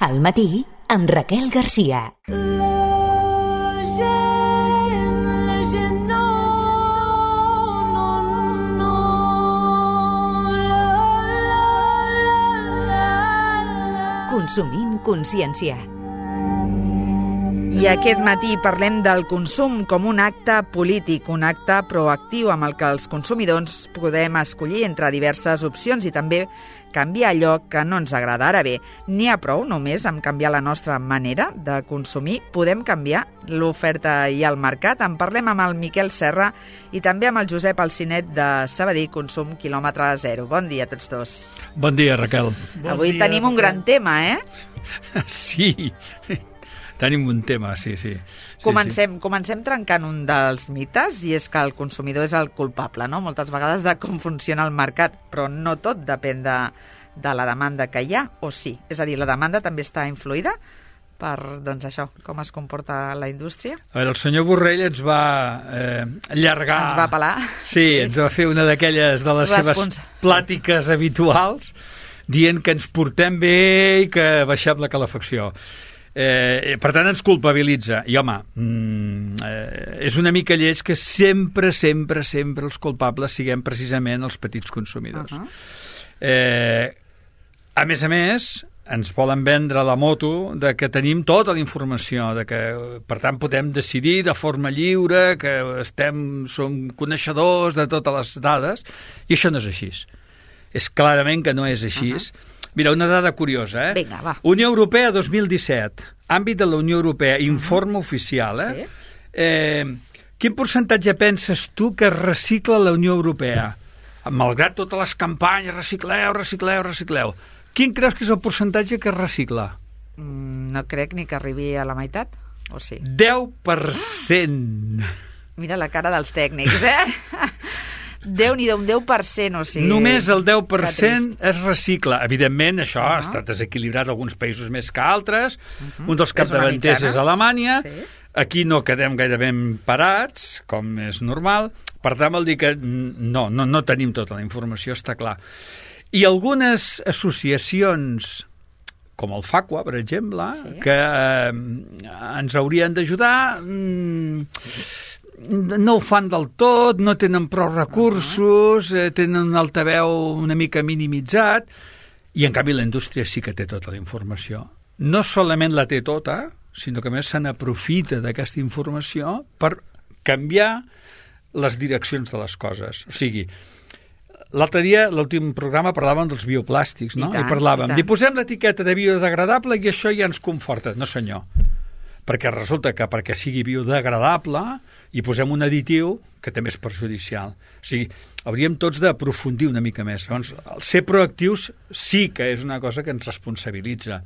Al matí, amb Raquel Garcia. Consumint consciència. I aquest matí parlem del consum com un acte polític, un acte proactiu amb el que els consumidors podem escollir entre diverses opcions i també canviar allò que no ens agrada. Ara bé, n'hi ha prou només amb canviar la nostra manera de consumir. Podem canviar l'oferta i el mercat. En parlem amb el Miquel Serra i també amb el Josep Alcinet de Sabadell Consum Quilòmetre Zero. Bon dia a tots dos. Bon dia, Raquel. Avui tenim un gran tema, Sí, tenim un tema, sí. Comencem trencant un dels mites, i és que el consumidor és el culpable, no? Moltes vegades de com funciona el mercat, però no tot depèn de la demanda que hi ha, o sí? És a dir, la demanda també està influïda per, doncs això, com es comporta la indústria? A veure, el senyor Borrell ens va allargar... Ens va pelar. Sí, ens va fer una d'aquelles de les seves plàtiques habituals, dient que ens portem bé i que baixem la calefacció. Per tant, ens culpabilitza. I, home, és una mica lleig que sempre els culpables siguem precisament els petits consumidors. A més, ens volen vendre la moto de que tenim tota la informació, de que, per tant, podem decidir de forma lliure, que som coneixedors de totes les dades, i això no és així. És clarament que no és així. Mira, una dada curiosa, Vinga, va. Unió Europea 2017, àmbit de la Unió Europea, informe oficial, Sí. Quin percentatge penses tu que recicla la Unió Europea? Malgrat totes les campanyes, recicleu. Quin creus que és el percentatge que recicla? No crec ni que arribi a la meitat, o sí? 10%. Mira la cara dels tècnics, Déu-n'hi-do, un 10%, o sigui... Només el 10% es recicla. Evidentment, això ha estat desequilibrat a alguns països més que altres. Un dels capdavanters és Alemanya. Sí. Aquí no quedem gaire ben parats, com és normal. Per tant, vol dir que no tenim tota la informació, està clar. I algunes associacions, com el FACUA, per exemple, que ens haurien d'ajudar... no ho fan del tot, no tenen prou recursos, tenen un altaveu una mica minimitzat, i en canvi la indústria sí que té tota la informació. No solament la té tota, sinó que a més se n'aprofita d'aquesta informació per canviar les direccions de les coses. O sigui, l'altre dia, l'últim programa, parlàvem dels bioplàstics, no? I parlàvem, posem l'etiqueta de biodegradable i això ja ens conforta. No, senyor. Perquè resulta que perquè sigui biodegradable hi posem un additiu que també és perjudicial. O sigui, hauríem tots d'aprofundir una mica més. Llavors, ser proactius sí que és una cosa que ens responsabilitza,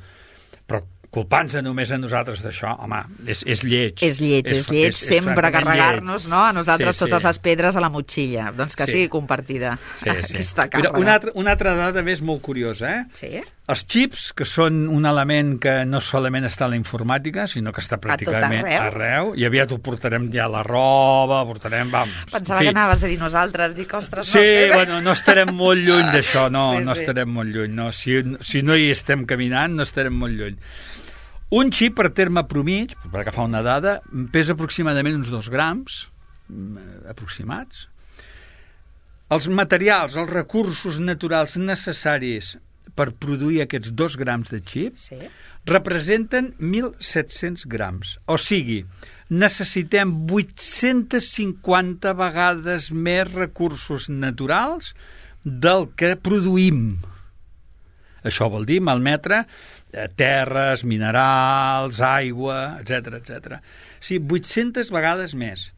però culpant-se només a nosaltres d'això, home, és lleig. És lleig, sempre carregar-nos, no?, a nosaltres totes les pedres a la motxilla. Doncs que sigui compartida aquesta càrrega. Una altra dada més molt curiosa, Sí? Els xips, que són un element que no solament està a la informàtica, sinó que està pràcticament arreu, i aviat ho portarem ja a la roba, Pensava que anaves a dir nosaltres, dic, ostres, no. Sí, bueno, no estarem molt lluny d'això, no estarem molt lluny, no. Si no hi estem caminant, no estarem molt lluny. Un xip, per terme promig, per agafar una dada, pesa aproximadament uns 2 grams, aproximats. Els materials, els recursos naturals necessaris per produir aquests 2 grams de xip representen 1.700 grams. O sigui, necessitem 850 vegades més recursos naturals del que produïm. Això vol dir malmetre terres, minerals, aigua, etc. Sí, 800 vegades més.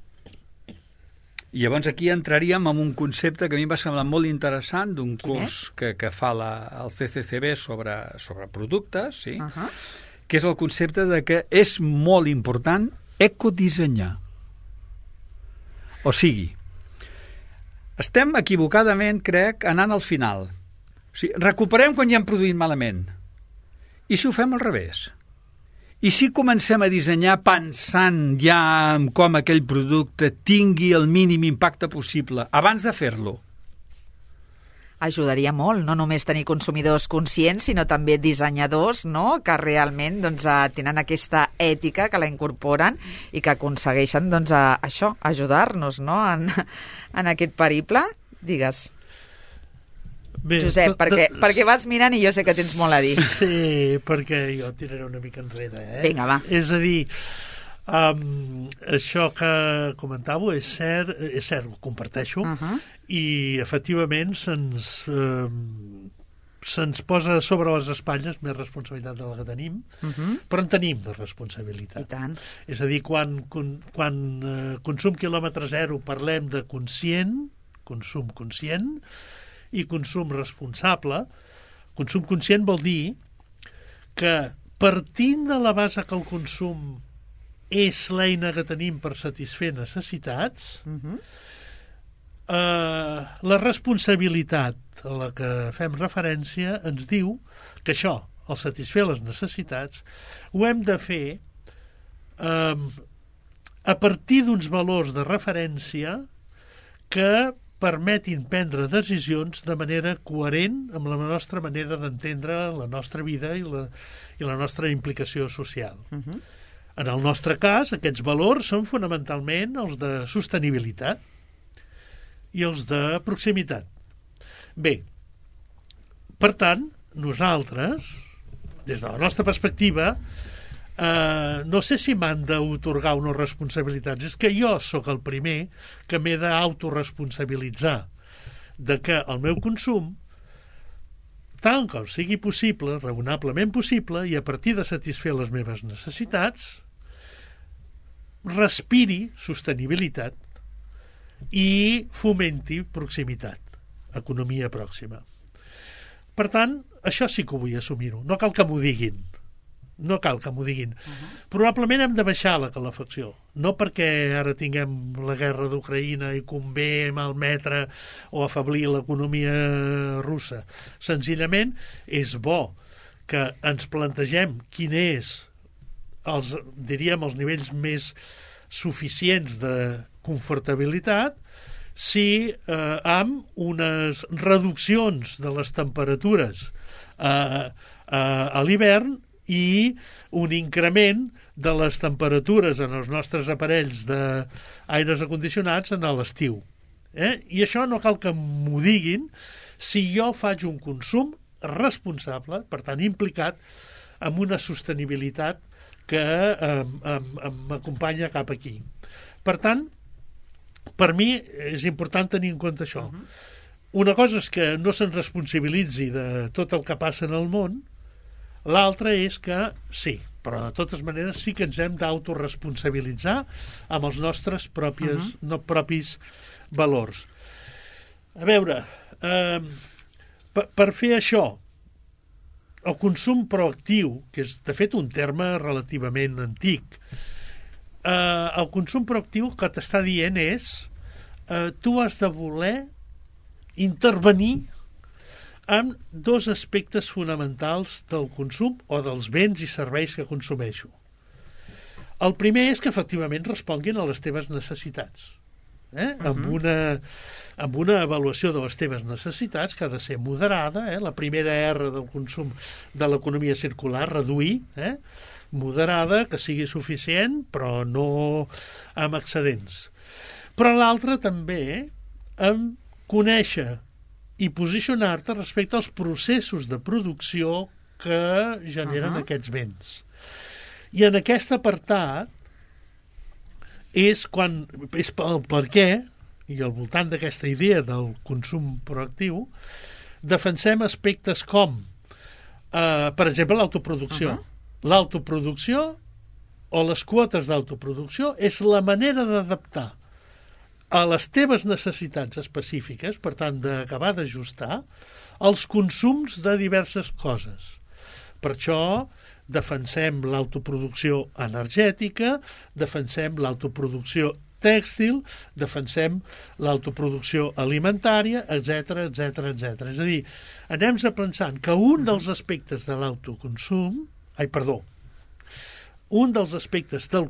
I llavors aquí entraríem en un concepte que a mi em va semblar molt interessant d'un curs que fa el CCCB sobre productes, que és el concepte de que és molt important ecodissenyar. O sigui, estem equivocadament, crec, anant al final. O sigui, recuperem quan ja hem produït malament. I si ho fem al revés? I si comencem a dissenyar pensant ja en com aquell producte tingui el mínim impacte possible abans de fer-lo? ajudaria molt, no només tenir consumidors conscients, sinó també dissenyadors, no?, que realment tenen aquesta ètica, que la incorporen i que aconsegueixen això, ajudar-nos, no?, en aquest periple. Digues. Bé, Josep, perquè vas mirant i jo sé que tens molt a dir. Sí, perquè jo tiraré una mica enrere. Vinga, va. És a dir, això que comentàveu és cert, ho comparteixo, i efectivament se'ns posa sobre les espatlles més responsabilitat de la que tenim, però en tenim de responsabilitat. I tant. És a dir, quan consum quilòmetre zero parlem de consum conscient i consum responsable. Consum conscient vol dir que partint de la base que el consum és l'eina que tenim per satisfer necessitats, la responsabilitat a la que fem referència ens diu que això, al satisfer les necessitats, ho hem de fer a partir d'uns valors de referència que permetin prendre decisions de manera coherent amb la nostra manera d'entendre la nostra vida i la nostra implicació social. En el nostre cas, aquests valors són fonamentalment els de sostenibilitat i els de proximitat. Bé, per tant, nosaltres, des de la nostra perspectiva, no sé si m'han d'autorgar unes responsabilitats. És que jo sóc el primer que m'he d'autoresponsabilitzar de que el meu consum, tant com sigui possible, raonablement possible, i a partir de satisfer les meves necessitats, respiri sostenibilitat i fomenti proximitat, economia pròxima. Per tant, això sí que ho vull assumir-ho. No cal que m'ho diguin. Probablement hem de baixar la calefacció, no perquè ara tinguem la guerra d'Ucraïna i convé malmetre o afeblir l'economia russa. Senzillament és bo que ens plantegem quin és els nivells més suficients de confortabilitat si amb unes reduccions de les temperatures a l'hivern i un increment de les temperatures en els nostres aparells d'aires acondicionats en l'estiu. I això no cal que m'ho diguin si jo faig un consum responsable, per tant implicat, amb una sostenibilitat que m'acompanya cap aquí. Per tant, per mi és important tenir en compte això. Una cosa és que no se'n responsabilitzi de tot el que passa en el món, l'altra és que sí, però de totes maneres sí que ens hem d'autoresponsabilitzar amb els nostres propis valors. A veure, per fer això, el consum proactiu, que és de fet un terme relativament antic, el consum proactiu que t'està dient és tu has de voler intervenir amb dos aspectes fonamentals del consum o dels béns i serveis que consumeixo. El primer és que efectivament responguin a les teves necessitats. Amb una avaluació de les teves necessitats que ha de ser moderada, la primera R del consum de l'economia circular, reduir, moderada, que sigui suficient, però no amb excedents. Però l'altra també amb conèixer i posicionar-te respecte als processos de producció que generen aquests béns. I en aquest apartat és el per què, i al voltant d'aquesta idea del consum proactiu, defensem aspectes com, per exemple, l'autoproducció. L'autoproducció o les quotes d'autoproducció és la manera d'adaptar a les teves necessitats específiques, per tant, d'acabar d'ajustar els consums de diverses coses. Per això defensem l'autoproducció energètica, defensem l'autoproducció tèxtil, defensem l'autoproducció alimentària, etc. És a dir, anem pensant que un dels aspectes de l'autoconsum, un dels aspectes del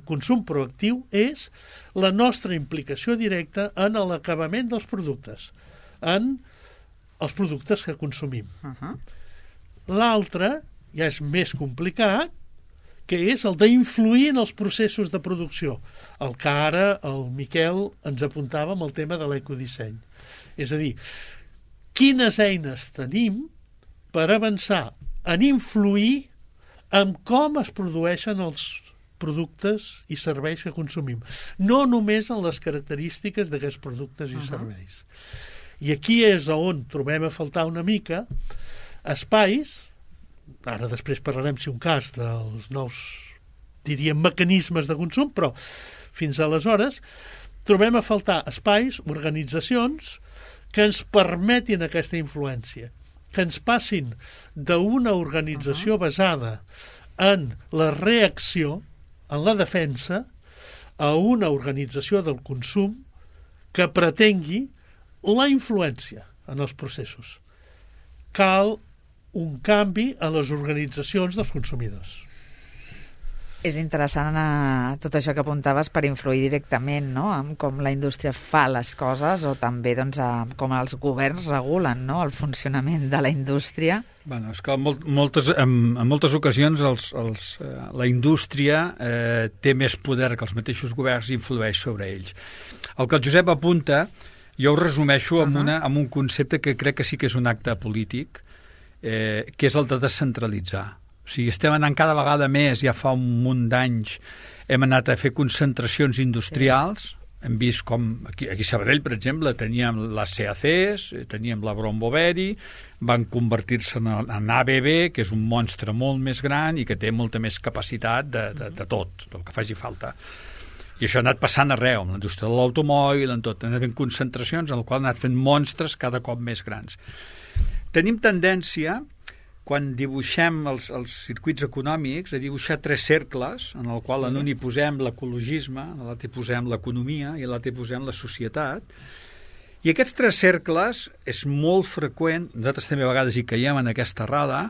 consum proactiu és la nostra implicació directa en l'acabament dels productes, en els productes que consumim. L'altre ja és més complicat, que és el d'influir en els processos de producció, el que ara el Miquel ens apuntava amb el tema de l'ecodisseny. És a dir, quines eines tenim per avançar en influir en com es produeixen els productes i serveis que consumim, no només en les característiques d'aquests productes i serveis. I aquí és on trobem a faltar una mica espais, ara després parlarem si un cas dels nous, diríem, mecanismes de consum, però fins aleshores trobem a faltar espais, organitzacions que ens permetin aquesta influència, que ens passin d'una organització basada en la reacció, en la defensa, a una organització del consum que pretengui la influència en els processos. Cal un canvi a les organitzacions dels consumidors. És interessant tot això que apuntaves per influir directament, no?, en com la indústria fa les coses o també doncs, com els governs regulen, no?, el funcionament de la indústria. Bueno, és que en moltes ocasions la indústria té més poder que els mateixos governs i influeix sobre ells. El que el Josep apunta, jo ho resumeixo amb un concepte que crec que sí que és un acte polític, que és el de descentralitzar. O sigui, estem anant cada vegada més, ja fa un munt d'anys, hem anat a fer concentracions industrials, hem vist com, aquí a Sabadell, per exemple, teníem les CACs, teníem la Brombo Beri, van convertir-se en ABB, que és un monstre molt més gran i que té molta més capacitat de tot, del que faci falta. I això ha anat passant arreu, amb la indústria de l'automòbil, en tot. Han anat fent concentracions en les quals han anat fent monstres cada cop més grans. Tenim tendència, quan dibuixem els circuits econòmics, a dibuixar 3 cercles, en el qual en un hi posem l'ecologisme, en l'altre hi posem l'economia i en l'altre hi posem la societat. I aquests 3 cercles és molt freqüent, nosaltres també a vegades hi caiem en aquesta errada,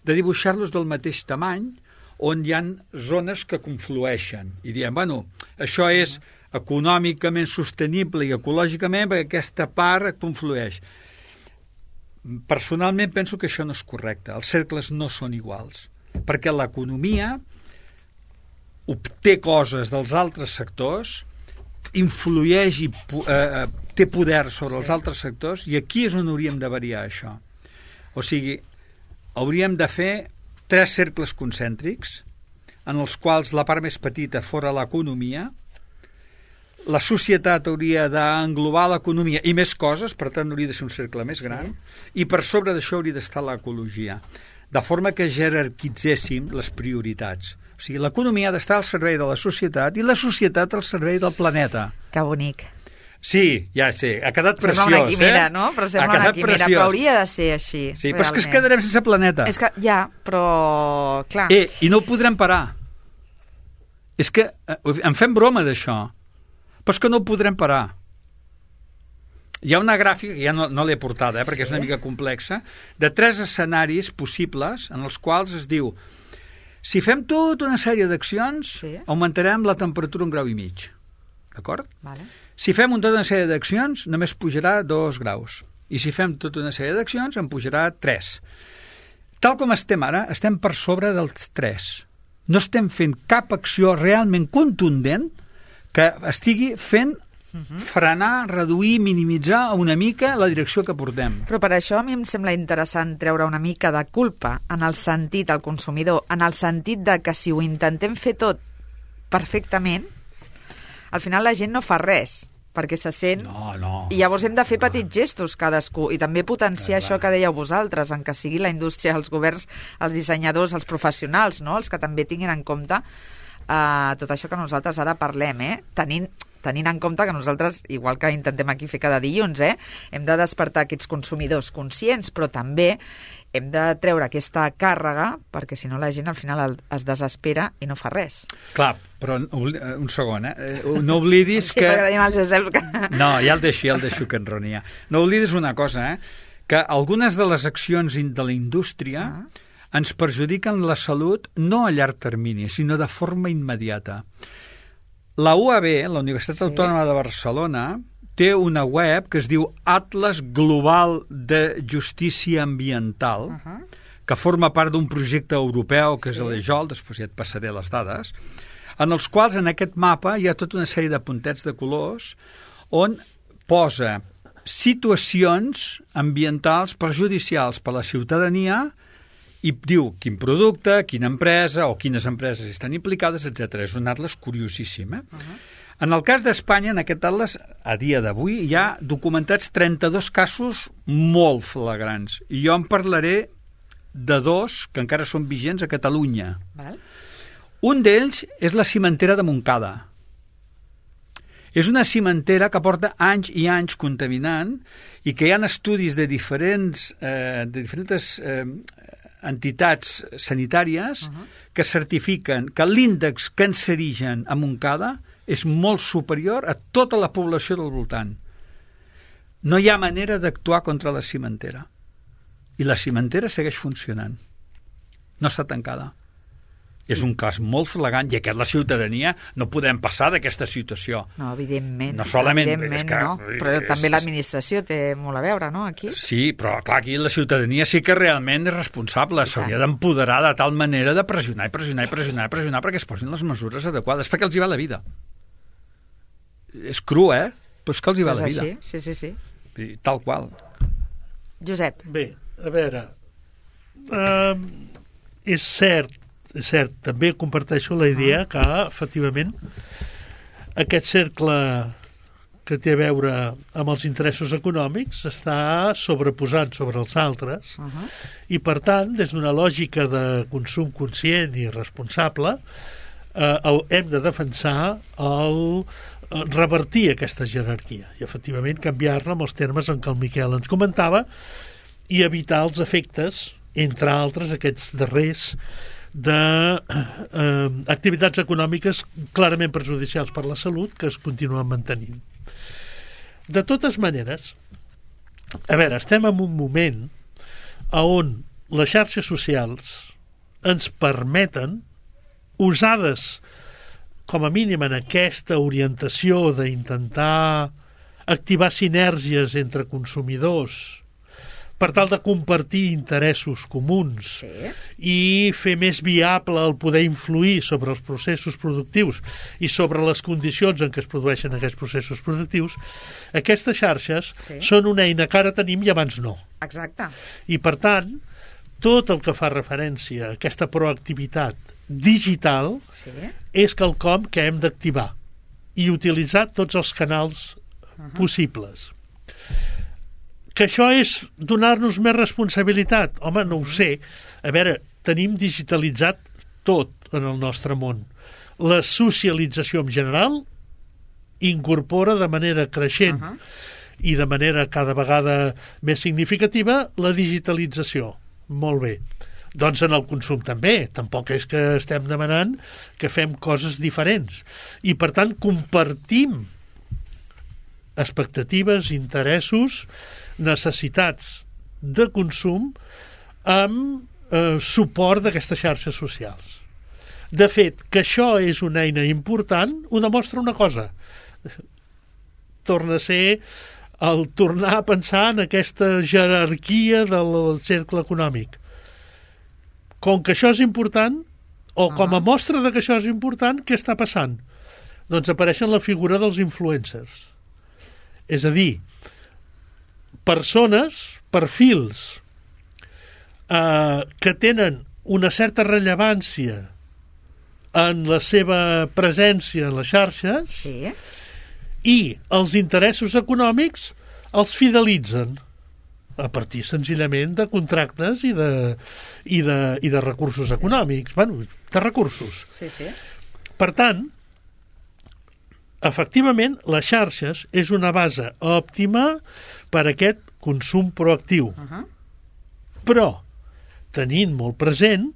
de dibuixar-los del mateix tamany, on hi ha zones que conflueixen. I diem, bueno, això és econòmicament sostenible i ecològicament perquè aquesta part conflueix. Personalment penso que això no és correcte. Els cercles no són iguals, perquè l'economia obté coses dels altres sectors, influeix i té poder sobre els altres sectors, i aquí és on hauríem de variar això. O sigui, hauríem de fer 3 cercles concèntrics, en els quals la part més petita fora l'economia, la societat hauria d'englobar l'economia i més coses, per tant hauria de ser un cercle més gran, i per sobre d'això hauria d'estar l'ecologia, de forma que jerarquitzéssim les prioritats. O sigui, l'economia ha d'estar al servei de la societat i la societat al servei del planeta. Que bonic. Sí, ja sé, ha quedat preciós, sembla una quimera, no? Però sembla una quimera, però hauria de ser així. Sí, però és que ens quedarem sense planeta. És que, ja, però, clar... I no ho podrem parar. És que en fem broma d'això, però és que no ho podrem parar. Hi ha una gràfica, ja no l'he portada, perquè és una mica complexa, de 3 escenaris possibles en els quals es diu si fem tota una sèrie d'accions, augmentarem la temperatura 1,5 graus. D'acord? Vale. Si fem tota una sèrie d'accions, només pujarà 2 graus. I si fem tota una sèrie d'accions, en pujarà 3. Tal com estem ara, estem per sobre dels 3. No estem fent cap acció realment contundent que estigui fent frenar, reduir, minimitzar una mica la direcció que portem. Però per això a mi em sembla interessant treure una mica de culpa en el sentit al consumidor, en el sentit de que si ho intentem fer tot perfectament, al final la gent no fa res, perquè se sent... No. I llavors hem de fer petits gestos cadascú i també potenciar això que dèieu vosaltres, en que sigui la indústria, els governs, els dissenyadors, els professionals, no?, els que també tinguin en compte tot això que nosaltres ara parlem, tenint en compte que nosaltres, igual que intentem aquí fer cada dilluns, hem de despertar aquests consumidors conscients, però també hem de treure aquesta càrrega, perquè si no la gent al final es desespera i no fa res. Clar, però un segon, no oblidis que... Sí, perquè tenim el Josep que... No, ja el deixo que enronia. No oblidis una cosa, que algunes de les accions de la indústria ens perjudiquen la salut no a llarg termini, sinó de forma immediata. La UAB, la Universitat Autònoma de Barcelona, té una web que es diu Atlas Global de Justícia Ambiental, que forma part d'un projecte europeu que és l'EJOL, després ja et passaré les dades, en els quals en aquest mapa hi ha tota una sèrie de puntets de colors on posa situacions ambientals perjudicials per a la ciutadania i diu quin producte, quina empresa o quines empreses estan implicades, etc. És un atles curiosíssim. En el cas d'Espanya, en aquest atles, a dia d'avui, hi ha documentats 32 casos molt flagrants. I jo en parlaré de 2 que encara són vigents a Catalunya. Val. Un d'ells és la cimentera de Montcada. És una cimentera que porta anys i anys contaminant i que hi ha estudis de diferents entitats sanitàries que certifiquen que l'índex cancerigen a Montcada és molt superior a tota la població del voltant. No hi ha manera d'actuar contra la cimentera. I la cimentera segueix funcionant. No està tancada. És un cas molt flagrant i aquest la ciutadania no podem passar d'aquesta situació. No, evidentment. No solament... Evidentment, no. Però també l'administració té molt a veure, no, aquí? Sí, però clar, aquí la ciutadania sí que realment és responsable. S'hauria d'empoderar de tal manera de pressionar perquè es posin les mesures adequades, perquè els hi va la vida. És cru, però és que els hi va la vida. Sí. I tal qual. Josep. Bé, a veure, és cert, també comparteixo la idea que, efectivament, aquest cercle que té a veure amb els interessos econòmics està sobreposant sobre els altres i, per tant, des d'una lògica de consum conscient i responsable, hem de defensar revertir aquesta jerarquia i, efectivament, canviar-la amb els termes en què el Miquel ens comentava i evitar els efectes, entre altres, aquests darrers d'activitats econòmiques clarament perjudicials per la salut que es continuen mantenint. De totes maneres, a veure, estem en un moment on les xarxes socials ens permeten, usades com a mínim en aquesta orientació d'intentar activar sinergies entre consumidors per tal de compartir interessos comuns i fer més viable el poder influir sobre els processos productius i sobre les condicions en què es produeixen aquests processos productius, aquestes xarxes són una eina que ara tenim i abans no. Exacte. I, per tant, tot el que fa referència a aquesta proactivitat digital és quelcom que hem d'activar i utilitzar tots els canals possibles. Que això és donar-nos més responsabilitat? Home, no ho sé. A veure, tenim digitalitzat tot en el nostre món. La socialització en general incorpora de manera creixent i de manera cada vegada més significativa la digitalització. Molt bé. Doncs en el consum també. Tampoc és que estem demanant que fem coses diferents. I, per tant, compartim expectatives, interessos, necessitats de consum amb suport d'aquestes xarxes socials. De fet, que això és una eina important ho demostra una cosa. Torna a ser el tornar a pensar en aquesta jerarquia del cercle econòmic. Com que això és important, o com a mostra de que això és important, què està passant? Doncs apareixen la figura dels influencers. És a dir, persones, perfils que tenen una certa rellevància en la seva presència en les xarxes i els interessos econòmics els fidelitzen a partir senzillament de contractes i de recursos econòmics, de recursos. Per tant, efectivament, les xarxes és una base òptima per a aquest consum proactiu. Però, tenint molt present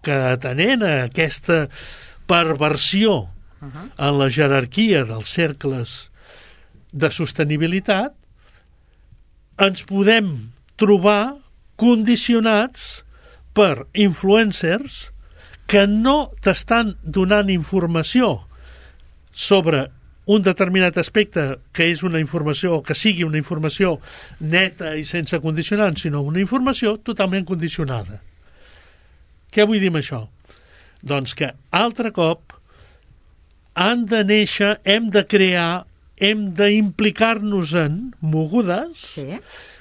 que atenent a aquesta perversió en la jerarquia dels cercles de sostenibilitat, ens podem trobar condicionats per influencers que no t'estan donant informació sobre un determinat aspecte que és una informació, o que sigui una informació neta i sense condicionants, sinó una informació totalment condicionada. Què vull dir amb això? Doncs que, altre cop, han de néixer, hem de crear, hem d'implicar-nos en mogudes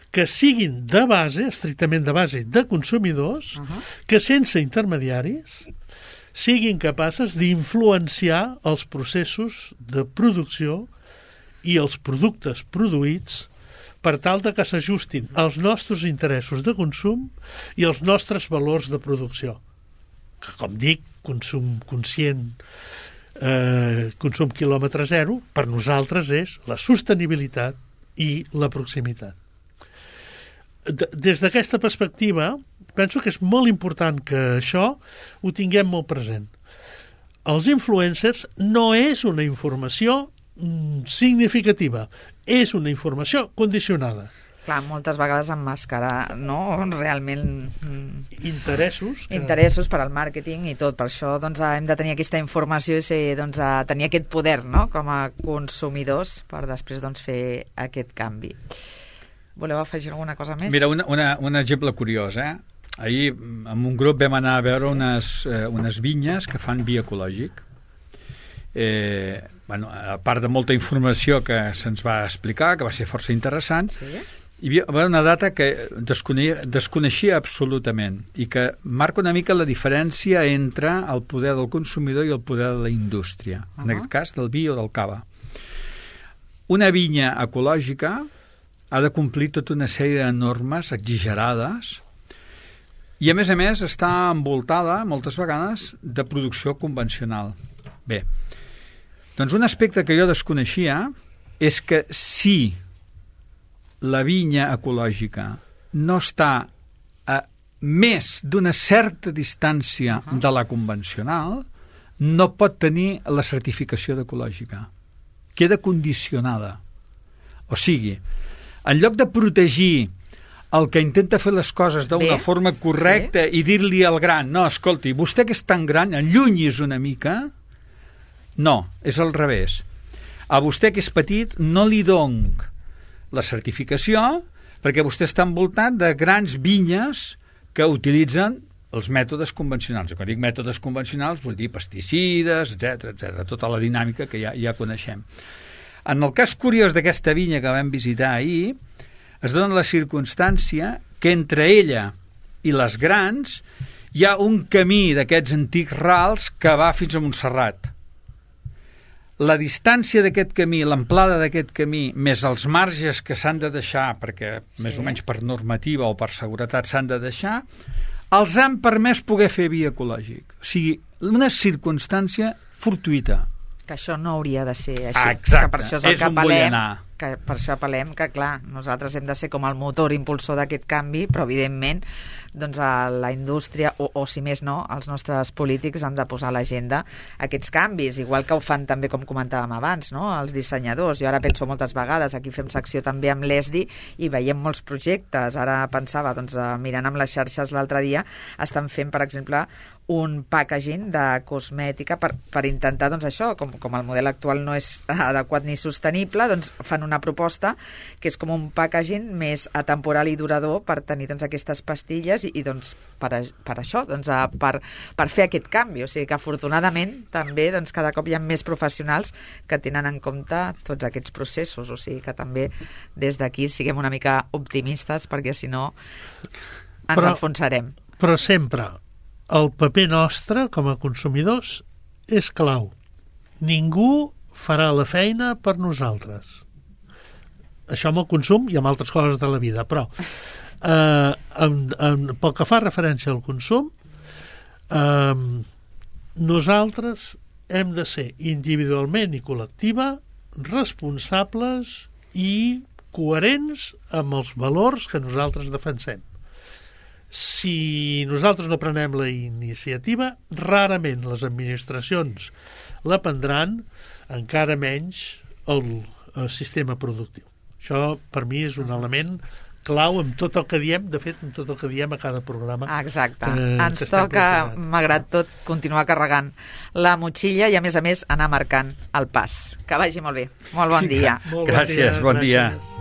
que siguin de base, estrictament de base, de consumidors, que sense intermediaris siguin capaces d'influenciar els processos de producció i els productes produïts per tal de que s'ajustin als nostres interessos de consum i als nostres valors de producció. Que, com dic, consum conscient, consum quilòmetre zero, per nosaltres és la sostenibilitat i la proximitat. Des d'aquesta perspectiva, penso que és molt important que això ho tinguem molt present. Els influencers no és una informació significativa, és una informació condicionada. Clar, moltes vegades emmascarar, no? Realment... Interessos per al màrqueting i tot. Per això doncs, hem de tenir aquesta informació i ser, doncs, tenir aquest poder, no?, com a consumidors per després doncs, fer aquest canvi. Voleu afegir alguna cosa més? Mira, un exemple curiós, Ahir, amb un grup vam anar a veure unes vinyes que fan vi ecològic. A part de molta informació que se'ns va explicar, que va ser força interessant, hi havia una data que desconeixia absolutament i que marca una mica la diferència entre el poder del consumidor i el poder de la indústria, en aquest cas del vi o del cava. Una vinya ecològica ha de complir tota una sèrie de normes exagerades i, a més, està envoltada, moltes vegades, de producció convencional. Bé, doncs un aspecte que jo desconeixia és que si la vinya ecològica no està a més d'una certa distància de la convencional, no pot tenir la certificació d'ecològica. Queda condicionada. O sigui, en lloc de protegir el que intenta fer les coses d'una forma correcta i dir-li al gran, no, escolti, vostè que és tan gran, allunyis una mica, no, és al revés. A vostè que és petit no li dono la certificació perquè vostè està envoltat de grans vinyes que utilitzen els mètodes convencionals. Quan dic mètodes convencionals vull dir pesticides, etc, tota la dinàmica que ja coneixem. En el cas curiós d'aquesta vinya que vam visitar ahir, es dona la circumstància que entre ella i les grans hi ha un camí d'aquests antics rals que va fins a Montserrat. La distància d'aquest camí, l'amplada d'aquest camí, més els marges que s'han de deixar, perquè més o menys per normativa o per seguretat s'han de deixar, els han permès poder fer vi ecològic. O sigui, una circumstància fortuïta. Que això no hauria de ser així. Exacte, que per això és un vull anar. Que per això apel·lem que, clar, nosaltres hem de ser com el motor impulsor d'aquest canvi, però, evidentment, doncs a la indústria, o si més no, els nostres polítics han de posar a l'agenda aquests canvis, igual que ho fan també, com comentàvem abans, no?, els dissenyadors. Jo ara penso moltes vegades, aquí fem secció també amb l'ESDI i veiem molts projectes. Ara pensava, doncs, mirant amb les xarxes l'altre dia, estan fent, per exemple, un packaging de cosmètica per intentar, doncs això, com el model actual no és adequat ni sostenible, doncs fan una proposta que és com un packaging més atemporal i durador per tenir, doncs, aquestes pastilles i doncs, per això, doncs, per fer aquest canvi. O sigui que, afortunadament, també doncs, cada cop hi ha més professionals que tenen en compte tots aquests processos. O sigui que també des d'aquí siguem una mica optimistes perquè, si no, ens enfonsarem. Però sempre el paper nostre com a consumidors és clau. Ningú farà la feina per nosaltres. Això amb el consum i amb altres coses de la vida, però pel que fa referència al consum, nosaltres hem de ser individualment i col·lectiva responsables i coherents amb els valors que nosaltres defensem. Si nosaltres no prenem la iniciativa, rarament les administracions la prendran, encara menys el sistema productiu. Això, per mi, és un element clau amb tot el que diem, de fet, amb tot el que diem a cada programa. Exacte. Ens toca, malgrat tot, continuar carregant la motxilla i, a més, anar marcant el pas. Que vagi molt bé. Molt bon dia. Gràcies, bon dia. Gràcies.